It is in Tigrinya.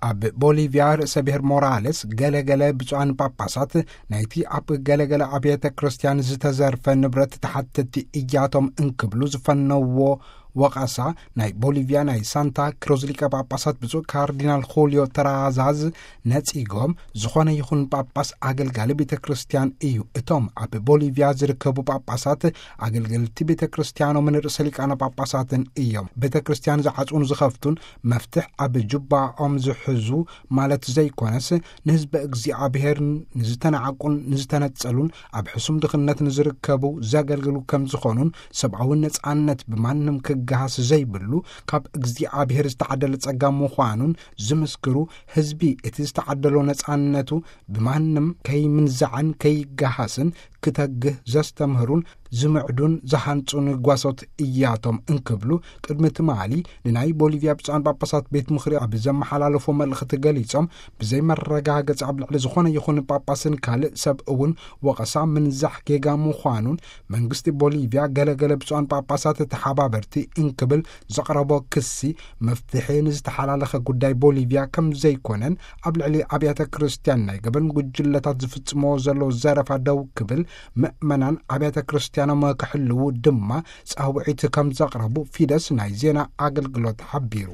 ኣብ ቦሊቪያ ርእሰ ብሔር ሞራሌስ፣ ገለገለ ብፁዓን ጳጳሳት ናይቲ ኣብ ገለገለ ኣብያተ ክርስቲያን ዝተዘርፈ ንብረት ተሓተቲ እያቶም እንክብሉ ዝፈነዎ ወቐሳ፣ ናይ ቦሊቪያ ናይ ሳንታ ክሮዝ ሊቀ ጳጳሳት ብፁዕ ካርዲናል ኹልዮ ተራዛዝ ነጺጎም፣ ዝኾነ ይኹን ጳጳስ ኣገልጋሊ ቤተ ክርስቲያን እዩ። እቶም ኣብ ቦሊቪያ ዝርከቡ ጳጳሳት ኣገልገልቲ ቤተ ክርስቲያኖምን ርእሰ ሊቃነ ጳጳሳትን እዮም። ቤተ ክርስቲያን ዝዓጽዉን ዝኸፍቱን፣ መፍትሕ ኣብ ጁባኦም ዝሕዙ ማለት ዘይኮነስ፣ ንህዝበ እግዚኣብሔር ንዝተናዕቁን ንዝተነጸሉን ኣብ ሕሱም ድኽነት ንዝርከቡ ዘገልግሉ ከም ዝኾኑን፣ ሰብኣዊ ነጻነት ብማንም ክገሃስ ዘይብሉ ካብ እግዚኣብሔር ዝተዓደለ ጸጋ ምዃኑን ዝምስክሩ፣ ህዝቢ እቲ ዝተዓደሎ ነጻነቱ ብማንም ከይምንዛዕን ከይገሃስን ክተግህ ዘስተምህሩን ዝምዕዱን ዝሃንጹን ጓሶት እያቶም እንክብሉ፣ ቅድሚ ትማሊ ንናይ ቦሊቪያ ብፁዓን ጳጳሳት ቤት ምኽሪ ኣብ ዘመሓላለፎ መልእኽቲ ገሊጾም፣ ብዘይ መረጋገጺ ኣብ ልዕሊ ዝኾነ ይኹን ጳጳስን ካልእ ሰብ እውን ወቐሳ ምንዛሕ ጌጋ ምዃኑን፣ መንግስቲ ቦሊቪያ ገለገለ ብፁዓን ጳጳሳት ተሓባበርቲ እንክብል ዘቕረቦ ክሲ፣ መፍትሒ ንዝተሓላለኸ ጉዳይ ቦሊቪያ ከም ዘይኮነን፣ ኣብ ልዕሊ ኣብያተ ክርስቲያን ናይ ገበን ጉጅለታት ዝፍጽሞ ዘሎ ዘረፋ ደው ክብል፣ ምእመናን ኣብያተ ክርስቲያኖም ክሕልዉ ድማ ጻውዒት ከም ዘቕረቡ ፊደስ ናይ ዜና ኣገልግሎት ሓቢሩ።